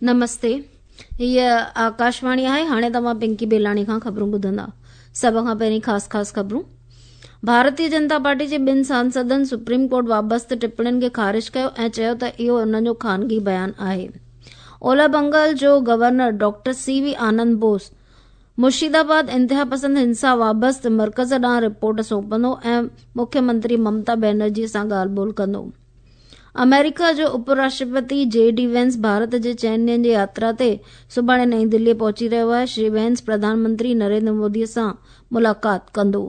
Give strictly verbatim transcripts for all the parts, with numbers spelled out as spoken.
نمستي، هيء آڪاشواڻي آهي. هاڻي توهان پنڪي بيلاڻي کان خبرون ٻڌندا. سڀ کان پهرين خاص خاص خبرون. ڀارتيه جنتا پارٽي جي ٻن سانسدن سپريم ڪورٽ وابسته ٽپڻين کي خارج ڪيو ۽ چيو ته اهو انهن جو خانگي بيان آهي. اولهه بنگال جو governor doctor C V Anand Bose Murshidabad انتهاپسند هنسا وابسته مرڪز ڏانهن رپورٽ سونپندو ۽ مکيه منتري ممتا بينرجي سان ڳالهه ٻولهه ڪندو. آمريڪا جو اپ راشٽرپتي جي ڊي وينس ڀارت جي چئن ڏينهن جي ياترا تي سڀاڻي نئين دهلي پهچي رهيو آهي. شري وينس پرڌان منتري نريندر مودي سان ملاقات ڪندو.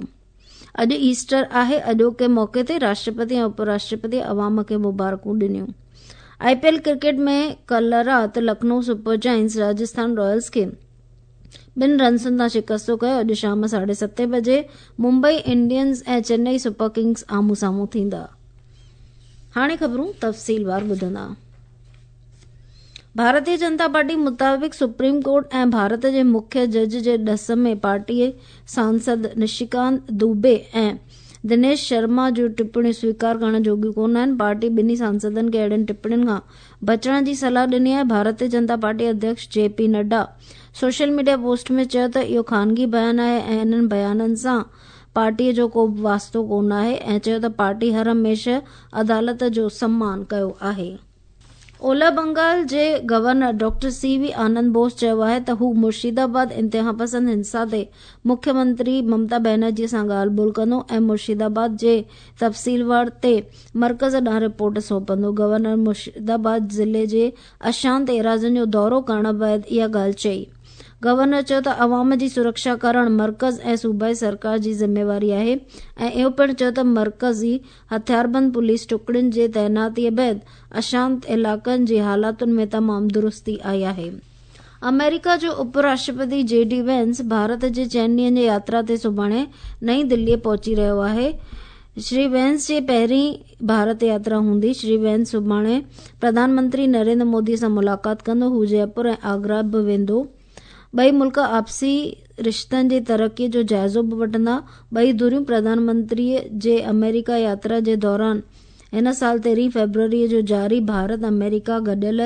اڄ ايسٽر آهي. اڄوڪي موقعي تي راشٽرپتي ۽ اپ راشٽرپتي عوام کي مبارڪون ڏنيون. آء پي ايل ڪرڪيٽ ۾ ڪالهه رات Lucknow super giants Rajasthan Ryles کي ٻن رنسن تان شڪست ڪيو. اڄ شام ساڍي ستين بجي Mumbai Indians ۽ Chennai super Kings آمهون سامهون ٿيندا. هاڻي خبرون تفصيلوار ٻڌندا. ڀارتيه جنتا پارٽي مطابق سپريم ڪورٽ ۽ ڀارت جي مکيه جج جي ڏس ۾ پارٽي سانسد نشيڪانت دوبي ۽ دنيش شرما جون ٽپڻيون سويڪار ڪرڻ جوڳيون ڪونه آهن. پارٽي ٻنهي سانسدن کي اهڙين ٽپڻين کان بچڻ جي صلاح ڏني آهي. ڀارتيه جنتا پارٽي اڌيڪش جي P Nadda social media post ۾ چيو ته اهو خانگي بيان آهي ۽ انهن بيانن سان پارٽي جو ڪو به واسطو ڪونه آهي ۽ چيو ته پارٽي هر هميشه عدالت جو سمان ڪيو آهي. اولهه بنگال جي governor doctor C V Anand Bose چيو آهي ته هو مرشدآباد انتهاپسند هنسا تي مکيه منتري ممتا بينرجي سان ڳالهه ٻولهه ڪندو ۽ مرشدآباد جي تفصيلوار تي مرڪز ڏانهن رپورٽ سونپندو. گورنر مرشدآباد ضلعي جي اشانت ايراضين جو دورو ڪرڻ بعد اها ڳالهه چئي. گورنر چيو ته عوام جي سرڪشا ڪرڻ مرڪز ۽ صوبائي سرڪار جي ذميواري آهي ۽ اهو پڻ چيو ته مرڪزي هٿياربند پوليس ٽڪڙين جي تعيناتي بعد اشانت علائقن جي حالاتن ۾ تمام درستي آئي آهي. آمريڪا جو اپ راشٽرپتي جي ڊي وينس ڀارت جي چئن ڏينهن جي ياترا تي سڀاڻي نئين دهلي پهچي رهيو آهي. شري وينس جي پهرين ڀارت ياترا هوندي. شري وينس سڀاڻي پرڌان منتري نريندر مودي سان ملاقات ڪندو. هو جئپور ۽ آگرا به ويندو. ٻئي ملڪ آپسي رشتن جي ترقي جو جائزو به وٺندا. ٻئي ڌريون پرڌان منتري جي آمريڪا ياترا جي دوران هن سال تيرهين فيبروري جو جاري ڀارت آمريڪا گڏيل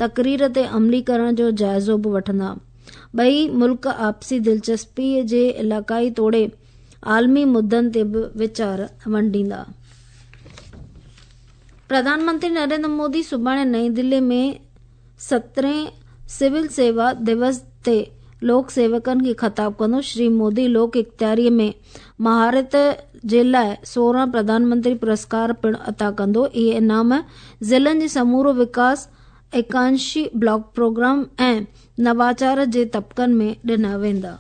تقرير تي عملي ڪرڻ جو جائزو به وٺندا. ٻئي ملڪ آپسي دلچسپي جي علائقائي توڙي عالمي مدعن تي به ويچار ونڊيندا. پرڌان منتري نريندر مودي سڀاڻي نئين دهلي ۾ سترهين سول سيوا دوس تي لوڪ سيوڪن کي خطاب ڪندو. شري مودي لوڪ اختياري ۾ مهارت جي لاءِ سورهن پرڌان منتري پرسڪار پڻ عطا ڪندو. اهي انعام ضلعن جي سمورو وڪاس، ايڪانشي بلاڪ پروگرام ۽ نواچار جي طبقن ۾ ڏنا ويندا.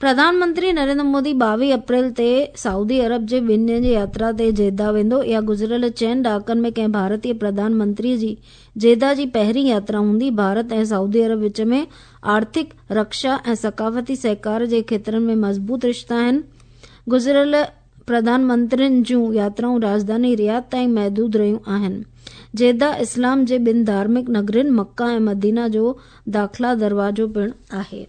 پرڌان منتري نريندر مودي ٻاويهه اپريل تي سعودي عرب جي ٻن ڏينهن جي ياترا تي جده ويندو. اها گذريل چئن ڏهاڪن ۾ ڪنهن ڀارتيه پرڌان منتري جي جده جي پهرين ياترا هوندي. ڀارت ۽ سعودي عرب وچ ۾ آرٿڪ، رڪشا ۽ ثقافتي سهڪار جي کيترن ۾ مضبوط رشتا آهن. گذريل پرڌان منترين جون ياترائون راڄڌاني رياض تائين محدود رهيون آهن. جده اسلام جي ٻن ڌارمڪ نگرين مڪه ۽ مدينه جو داخلا دروازو پڻ آهي.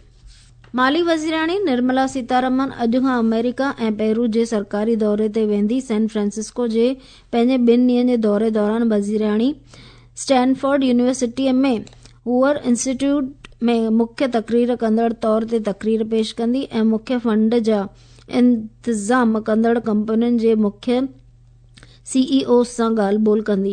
مالي وزيراڻي نرملا سيتارمن اڄ کان آمريڪا ۽ پيرو جي سرڪاري دوري تي ويندي. سين فرانسسڪو جي پنهنجي ٻن ڏينهن جي دوري دوران Wazirani Stanford university ۾ hover institute ۾ مکيه تقرير ڪندڙ طور تي تقرير پيش ڪندي ۽ مکيه فنڊ جا انتظام ڪندڙ ڪمپنين جي مکيه سي اي اوز سان ڳالهه ٻولهه ڪندي.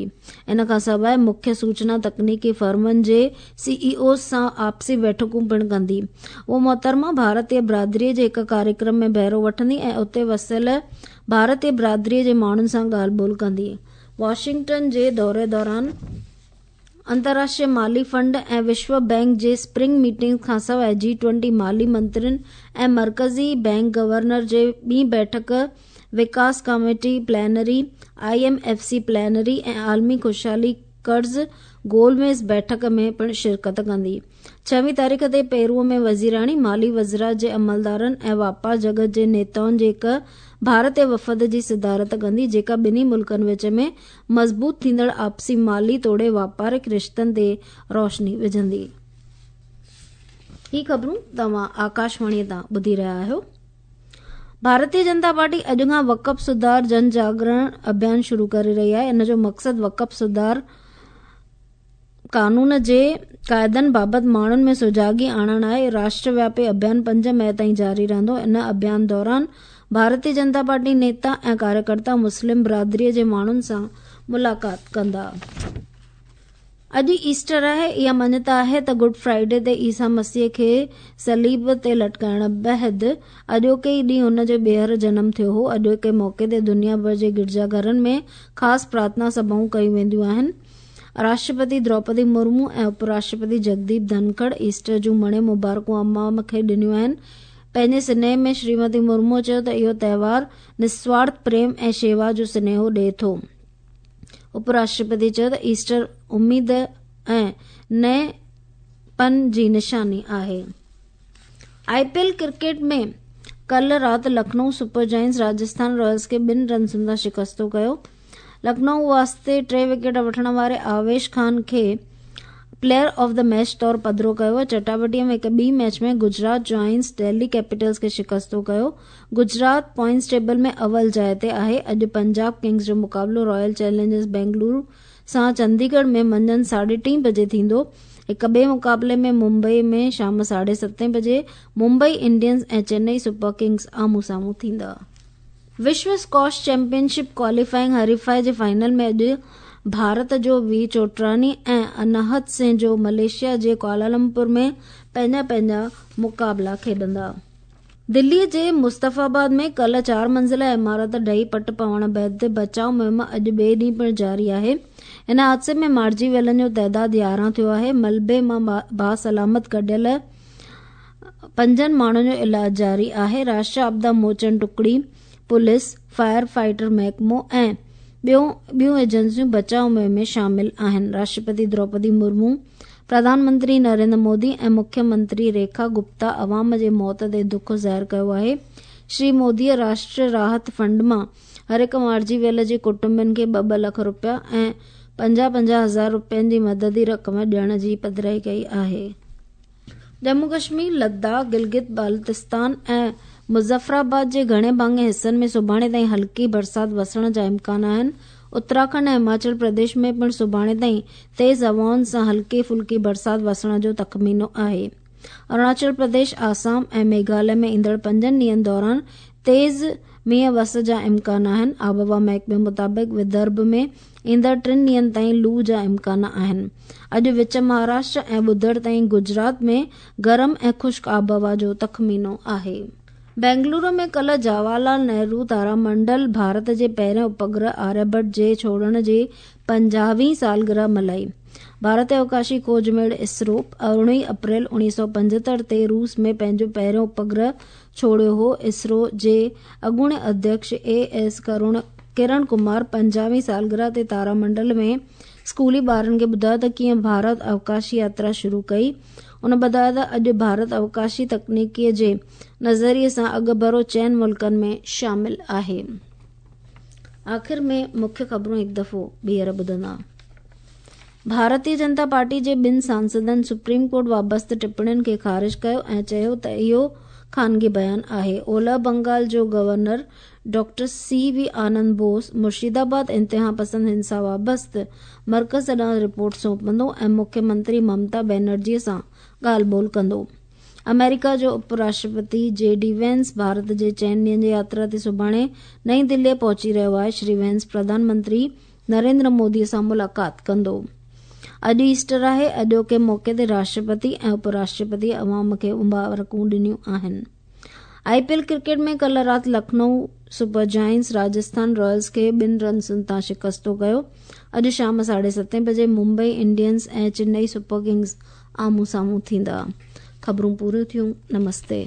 ان کان سواءِ مکيه سوچنا تڪنيڪي فرمن جي سي اي اوز سان آپسي بيٺڪون پڻ ڪندي. هوءَ محترمه ڀارتيه برادري جي هڪ ڪاريڪرم ۾ بهرو وٺندي ۽ اتي وسيل ڀارتيه برادري جي ماڻهن سان ڳالهه ٻولهه ڪندي. واشنگٽن جي دوري دوران انترراشٽريه مالي فنڊ ۽ وشو بينڪ جي اسپرنگ ميٽنگ کان سواءِ جي ٽوئنٽي مالي منترين ۽ مرڪزي بينڪ گورنر جي ٻي بيٺڪ، وڪاس committee plenary, I M F C plenary ۽ عالمي خوشحالي قرض گول ميز بيٺڪ ۾ پڻ شرڪت ڪندي. ڇويهه تاريخ تي پيرو ۾ وزيراڻي مالي وزارت جي عملدارن ۽ واپار جڳت جي نيتائن جي هڪ ڀارتيه وفد جي صدارت ڪندي، جيڪا ٻنهي ملڪن وچ ۾ مضبوط ٿيندڙ آپسي مالي توڙي واپارڪ رشتن تي روشني وجهندي. هي خبرون توهان آڪاشواڻي تان ٻڌي رهيا آهيو. ڀارتيه جنتا پارٽي اڄ کان وقف سڌار جن جاگرڻ اڀيان شروع ڪري رهي آهي. ان جو مقصد وقف سڌار قانون جي قاعدن بابت ماڻهن ۾ سجاڳي آڻڻ آهي. راشٽروياپي اڀيان پنج مئي تائين جاري رهندو. ان اڀيان دوران ڀارتيه جنتا پارٽي نيتا ۽ ڪاريڪرتا مسلم برادريءَ جي ماڻهن سان ملاقات ڪندا. اڄ ايسٽر آهي. اها مڃتا آهي ته گڊ فرائيڊي تي عيسيٰ مسيح کي صليب تي لٽڪائڻ بعد اڄوڪي ئي ڏينهن هن جو ٻيهر جنم ٿيو هو. اڄوڪي موقعي تي دنيا ڀر جي گرجا گهرن ۾ خاص پرارٿنا سڀائون ڪيون وينديون آهن. راشٽرپتي دروپدي مرمو ۽ اپراشٽرپتي جگديپ ڌنکڙ ايسٽر جون مڻي مبارڪون عوام کي ڏنيون آهن. پنهنجي سنيهي ۾ شريمتي مرمو چيو ته اهو تهوار نسوارٿ پريم ۽ شيوا جو سنيهو ڏئي ٿو. اپراشٽرپتي چيو ته ايسٽر اميد ۽ نئين پن جي نشاني آهي. I P L cricket ۾ ڪالهه رات Lucknow super giants Rajasthan Ryles کي ٻن رنسن تان شڪستو ڪيو. لکنؤ واسطي ٽي وڪيٽ وٺڻ واري آويش خان کي پليئر آف the match طور پڌرو ڪيو. چٽاڀيٽيءَ ۾ هڪ ٻي match ۾ Gujarat giants Delhi Capitals کي شڪستو ڪيو. گجرات پوائنٽس ٽيبل ۾ اول جاءِ تي آهي. اڄ پنجاب ڪنگز جو مقابلو رائل چئلينجرز بينگلورو سان چنديڳڙهه ۾ منجهند ساڍي ٽين بجي ٿيندو. هڪ ٻئي مقابلي ۾ ممبئي ۾ شام ساڍي ستين بجي Mumbai Indians ۽ Chennai super Kings آمهون سامهون ٿيندا. وشو اسڪواش چيمپئن شپ ڪواليفائنگ حريفائي جي فائنل ۾ اڄ ڀارت جو وي چوٽراڻي ۽ اناهت سنگهه جو ملائيشيا جي ڪوالالمپور ۾ پنهنجا پنهنجا مقابلا کيڏندا. دليءَ جي مصطفيٰ آباد ۾ ڪالهه چار منزله عمارت ڊهي پٽ پوڻ بعد بچاءُ مهم اڄ ٻئي ڏينهن پڻ جاري آهي. هن حادثي ۾ مارجي ويلن جو تعداد يارهن ٿيو آهي. ملبي مان باسلامت ڪڍيل پنجن ماڻهن جو علاج جاري آهي. راشٽريه آپدا موچن ٽڪڙي، پوليس، فائر فائٽر محڪمو ۽ ٻيون ٻيون ايجنسيون بچاءُ مهم ۾ شامل آهن. راشٽرپتي دروپدي مرمو، پرڌان منتري نريندر مودي ۽ مکيه منتري ريکا گپتا عوام جي موت تي دک ظاهر ڪيو آهي. شري موديءَ راشٽريه راحت فنڊ مان هر هڪ مارجي ويل جي ڪٽنبن کي ٻه ٻه لک رپيا ۽ پنجاهه پنجاهه هزار رپين جي مددي رقم ڏيڻ جي پڌرائي ڪئي آهي. ڄمون ڪشمير، لداخ، گلگت بالتستان ۽ مظفرآباد جي گهڻي ڀاڱي حصن ۾ سڀاڻي تائين هلڪي برسات وسڻ جا امڪان آهن. اتراکنڊ ۽ هماچل پرديش ۾ پڻ سڀاڻي تائين تيز هوائن سان هلڪي ڦلڪي برسات وسڻ جو تخمينو آهي. اروناچل پرديش، آسام ۽ ميگهاليه ۾ ايندڙ پنجن ڏينهن دوران تيز مينهن وس جا امڪان آهن. آبهوا محڪمي مطابق ودرڀ ۾ ايندڙ ٽن ڏينهن تائين لو جا امڪان آهن. اڄ وچ مهاراشٽر ۽ ٻڌر تائين گجرات ۾ گرم ۽ خشڪ آبهوا جو تخمينو آهي. بينگلورو ۾ ڪالهه جواهر لال نهرو تارامنڊل ڀارت جي پهرين اپگرهه آريڀٽ جي ڇوڙڻ جي پنجاهين سالگرهه ملهائي. ڀارتي اوڪاشي کوج ميڙ اسرو ارڙهين اپريل اڻويهه سؤ پنجهتر تي روس ۾ پنهنجو پهريون اپگرهه ڇوڙيو هو. اسرو جي اڳوڻي اڌيڪش اي ايس ڪرڻ ڪمار پنجاهين سالگرهه تي تارامنڊل ۾ اسڪولي ٻارن کي ٻڌايو ته ڪيئن ڀارت اوڪاشي ياترا شروع ڪئي. ان ٻڌايو ته اڄ ڀارت اوڪاشي تڪنيڪيءَ جي نظريي سان اڳڀرو چئن ملڪن ۾ شامل آهي. آخر ۾ مکيه خبرون هڪ دفعو ٻيهر ٻڌندا. ڀارتيه جنتا پارٽي جي ٻن سانسدن سپريم ڪورٽ وابسته ٽپڻين کي خارج ڪيو ۽ چيو ته اهو خانگي بيان آهي. اولهه بنگال جو governor doctor C V Anand Bose Murshidabad انتها پسند هنسا وابسته مرڪز ڏانهن رپورٽ سونپندو ۽ مکيه منتري ممتا بينرجيءَ سان ڳالهه ٻولهه ڪندو. آمريڪا جو اپراشٽرپتي جي ڊي وينس ڀارت جي چئن ڏينهن جي ياترا تي سڀاڻي نئين دليءَ پهچي رهيو آهي. شري وينس پرڌان منتري نريندر موديءَ سان ملاقات ڪندو. اڄ ايسٽر آهي. اڄوڪي موقعي تي راشٽرپتي ۽ اپراشٽرپتي عوام کي مبارڪون ڏنيون آهن. I P L cricket ۾ ڪالهه رات Lucknow super giants Rajasthan Ryles کي ٻن رنسن تان شڪستو ڪيو. اڄ شام ساڍي ستين بجي Mumbai Indians ۽ Chennai super Kings آمهون سامهون ٿيندا. خبرون پوريون ٿيون. نمستي.